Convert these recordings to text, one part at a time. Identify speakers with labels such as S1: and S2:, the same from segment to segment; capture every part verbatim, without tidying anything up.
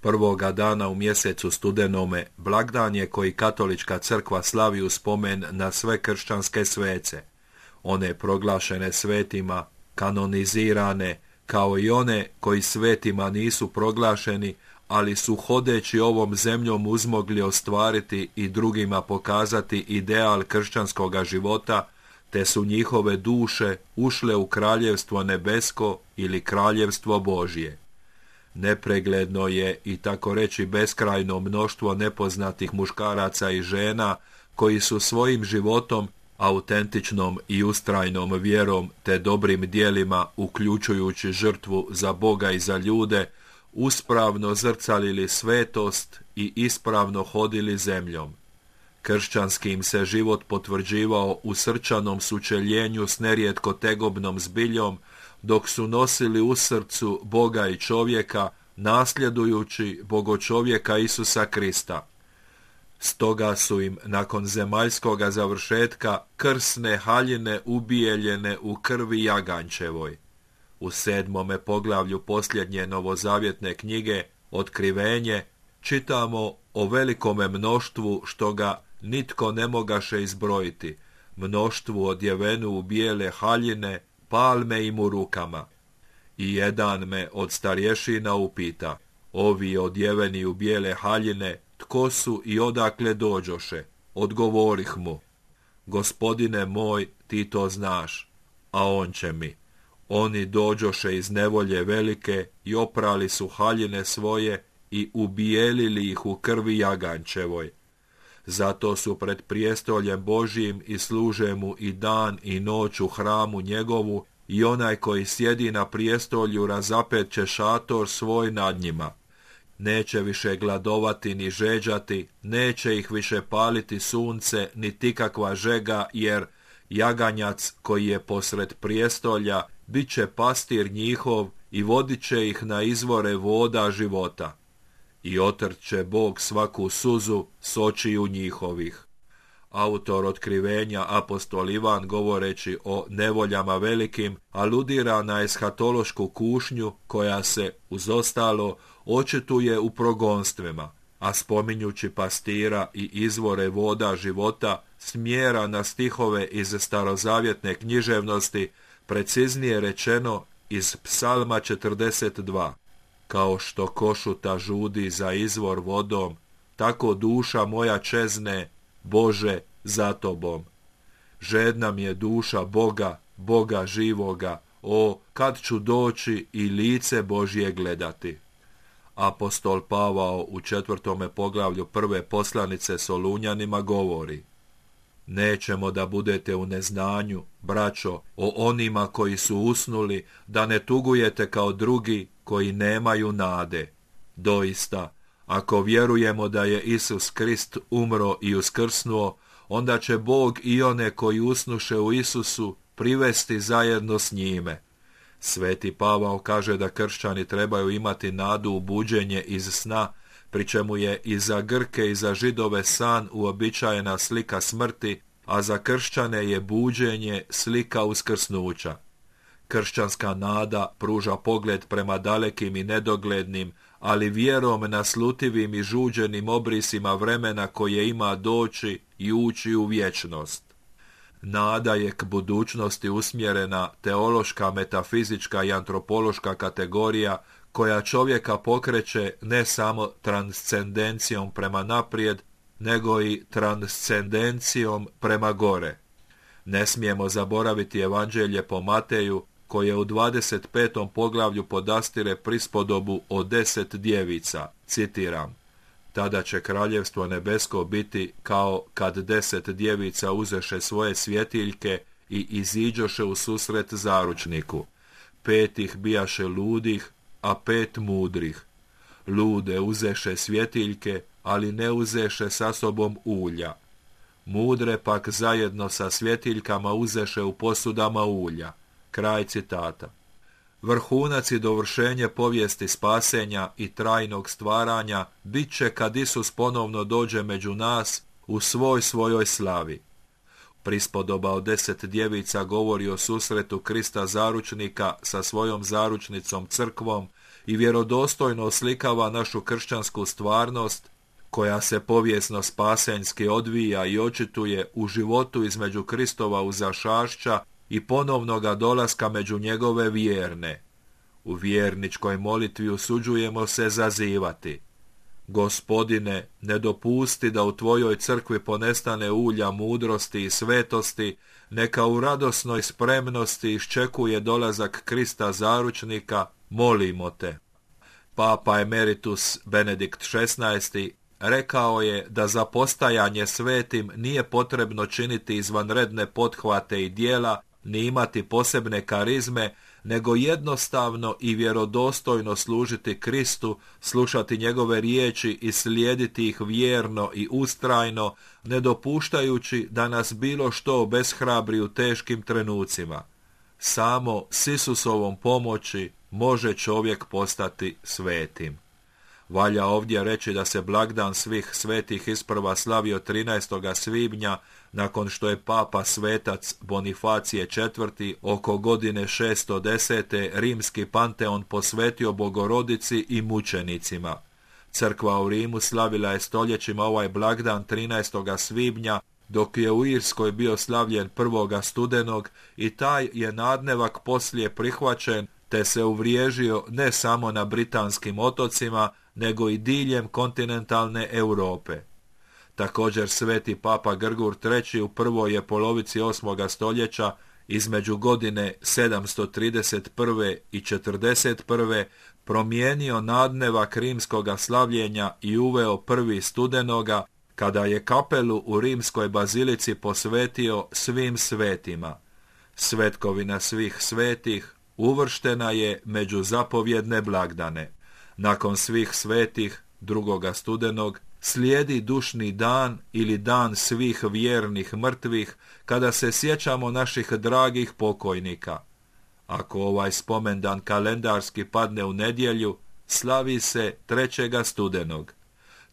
S1: Prvoga dana u mjesecu studenome blagdan je koji katolička crkva slavi u spomen na sve kršćanske svece, one proglašene svetima, kanonizirane, kao i one koji svetima nisu proglašeni, ali su hodeći ovom zemljom uzmogli ostvariti i drugima pokazati ideal kršćanskoga života, te su njihove duše ušle u kraljevstvo nebesko ili kraljevstvo Božje. Nepregledno je i tako reći beskrajno mnoštvo nepoznatih muškaraca i žena koji su svojim životom, autentičnom i ustrajnom vjerom te dobrim dijelima, uključujući žrtvu za Boga i za ljude, uspravno zrcalili svetost i ispravno hodili zemljom. Kršćanski im se život potvrđivao u srčanom sučeljenju s nerijetko tegobnom zbiljom, dok su nosili u srcu Boga i čovjeka, nasljedujući bogočovjeka Isusa Krista. Stoga su im nakon zemaljskoga završetka krsne haljine ubijeljene u krvi jagančevoj. U sedmome poglavlju posljednje novozavjetne knjige, Otkrivenje, čitamo o velikome mnoštvu što ga nitko ne mogaše izbrojiti, mnoštvu odjevenu u bijele haljine, palme im u rukama. I jedan me od starješina upita, ovi odjeveni u bijele haljine, tko su i odakle dođoše? Odgovorih mu, Gospodine moj, ti to znaš. A on će mi, oni dođoše iz nevolje velike i oprali su haljine svoje i ubijelili ih u krvi jagančevoj. Zato su pred prijestoljem Božjim i služe mu i dan i noć u hramu njegovu, i onaj koji sjedi na prijestolju razapet će šator svoj nad njima. Neće više gladovati ni žeđati, neće ih više paliti sunce, niti kakva žega, jer jaganjac koji je posred prijestolja bit će pastir njihov i vodit će ih na izvore voda života. I otrt će Bog svaku suzu s očiju njihovih. Autor Otkrivenja, apostol Ivan, govoreći o nevoljama velikim, aludira na eshatološku kušnju koja se, uz ostalo, očituje u progonstvima, a spominjući pastira i izvore voda života, smjera na stihove iz starozavjetne književnosti, preciznije rečeno iz Psalma četrdeset dva. Kao što košuta žudi za izvor vodom, tako duša moja čezne, Bože, za tobom. Žedna mi je duša Boga, Boga živoga, o, kad ću doći i lice Božje gledati. Apostol Pavao u četvrtome poglavlju prve poslanice Solunjanima govori: nećemo da budete u neznanju, braćo, o onima koji su usnuli, da ne tugujete kao drugi koji nemaju nade. Doista, ako vjerujemo da je Isus Krist umro i uskrsnuo, onda će Bog i one koji usnuše u Isusu privesti zajedno s njime. Sveti Pavao kaže da kršćani trebaju imati nadu u buđenje iz sna, pri čemu je i za Grke i za Židove san uobičajena slika smrti, a za kršćane je buđenje slika uskrsnuća. Kršćanska nada pruža pogled prema dalekim i nedoglednim, ali vjerom naslutivim i žuđenim obrisima vremena koje ima doći i ući u vječnost. Nada je k budućnosti usmjerena teološka, metafizička i antropološka kategorija koja čovjeka pokreće ne samo transcendencijom prema naprijed, nego i transcendencijom prema gore. Ne smijemo zaboraviti evanđelje po Mateju, koje u dvadeset petom poglavlju podastire prispodobu o deset djevica, citiram: tada će kraljevstvo nebesko biti kao kad deset djevica uzeše svoje svjetiljke i iziđoše u susret zaručniku. Pet ih bijaše ludih, a pet mudrih. Lude uzeše svjetiljke, ali ne uzeše sa sobom ulja. Mudre pak zajedno sa svjetiljkama uzeše u posudama ulja. Kraj citata. Vrhunac i dovršenje povijesti spasenja i trajnog stvaranja bit će kad Isus ponovno dođe među nas u svoj svojoj slavi. Prispodoba od deset djevica govori o susretu Krista zaručnika sa svojom zaručnicom crkvom i vjerodostojno oslikava našu kršćansku stvarnost, koja se povijesno spasenjski odvija i očituje u životu između Kristova uzašašća i ponovnoga dolaska među njegove vjerne. U vjerničkoj molitvi usuđujemo se zazivati: Gospodine, ne dopusti da u tvojoj crkvi ponestane ulja mudrosti i svetosti, neka u radosnoj spremnosti iščekuje dolazak Krista zaručnika, molimo te. Papa emeritus Benedikt šesnaesti rekao je da za postajanje svetim nije potrebno činiti izvanredne pothvate i djela, ni imati posebne karizme, nego jednostavno i vjerodostojno služiti Kristu, slušati njegove riječi i slijediti ih vjerno i ustrajno, ne dopuštajući da nas bilo što obeshrabri u teškim trenucima. Samo s Isusovom pomoći može čovjek postati svetim. Valja ovdje reći da se blagdan svih svetih isprva slavio trinaestog svibnja, nakon što je papa svetac Bonifacije četvrti oko godine šesto desete rimski panteon posvetio Bogorodici i mučenicima. Crkva u Rimu slavila je stoljećima ovaj blagdan trinaestog svibnja, dok je u Irskoj bio slavljen prvog studenog i taj je nadnevak poslije prihvaćen, te se uvriježio ne samo na britanskim otocima, nego i diljem kontinentalne Europe. Također sveti papa Grgur treći u prvoj je polovici osmoga stoljeća, između godine sedamsto trideset prve i četrdeset prve promijenio nadnevak rimskoga slavljenja i uveo prvi studenoga, kada je kapelu u rimskoj bazilici posvetio svim svetima. Svetkovina svih svetih uvrštena je među zapovjedne blagdane. Nakon svih svetih, drugoga studenog, slijedi dušni dan ili dan svih vjernih mrtvih, kada se sjećamo naših dragih pokojnika. Ako ovaj spomendan kalendarski padne u nedjelju, slavi se trećega studenog.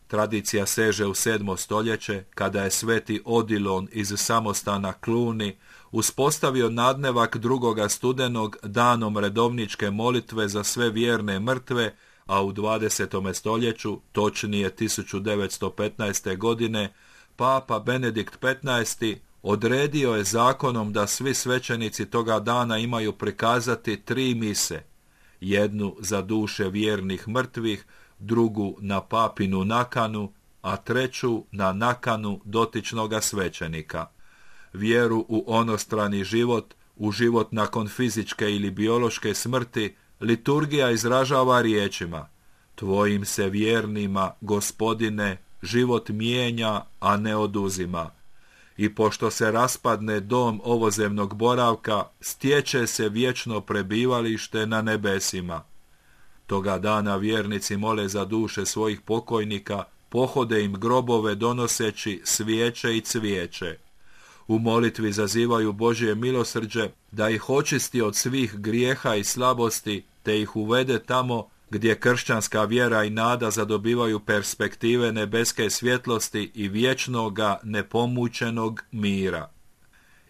S1: Tradicija seže u sedmo stoljeće, kada je sveti Odilon iz samostana Cluny uspostavio nadnevak drugoga studenog danom redovničke molitve za sve vjerne mrtve, a u dvadesetom stoljeću, točnije tisuću devetsto petnaeste. godine, papa Benedikt petnaesti odredio je zakonom da svi svećenici toga dana imaju prikazati tri mise, jednu za duše vjernih mrtvih, drugu na papinu nakanu, a treću na nakanu dotičnoga svećenika. Vjeru u onostrani život, u život nakon fizičke ili biološke smrti, liturgija izražava riječima: Tvojim se vjernima, Gospodine, život mijenja, a ne oduzima. I pošto se raspadne dom ovozemnog boravka, stječe se vječno prebivalište na nebesima. Toga dana vjernici mole za duše svojih pokojnika, pohode im grobove donoseći svijeće i cvijeće. U molitvi zazivaju Božje milosrđe da ih očisti od svih grijeha i slabosti, te ih uvede tamo gdje kršćanska vjera i nada zadobivaju perspektive nebeske svjetlosti i vječnoga nepomućenog mira.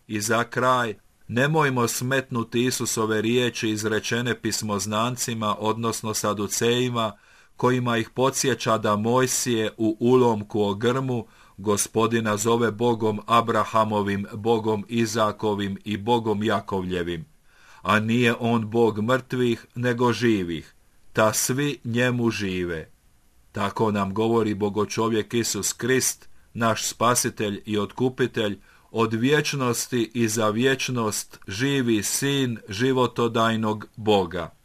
S1: I za kraj, nemojmo smetnuti Isusove riječi izrečene pismoznancima, odnosno saducejima, kojima ih podsjeća da Mojsije u ulomku o grmu Gospodina zove Bogom Abrahamovim, Bogom Izakovim i Bogom Jakovljevim, a nije on Bog mrtvih, nego živih, ta svi njemu žive. Tako nam govori Bogočovjek Isus Krist, naš spasitelj i otkupitelj, od vječnosti i za vječnost živi sin životodajnog Boga.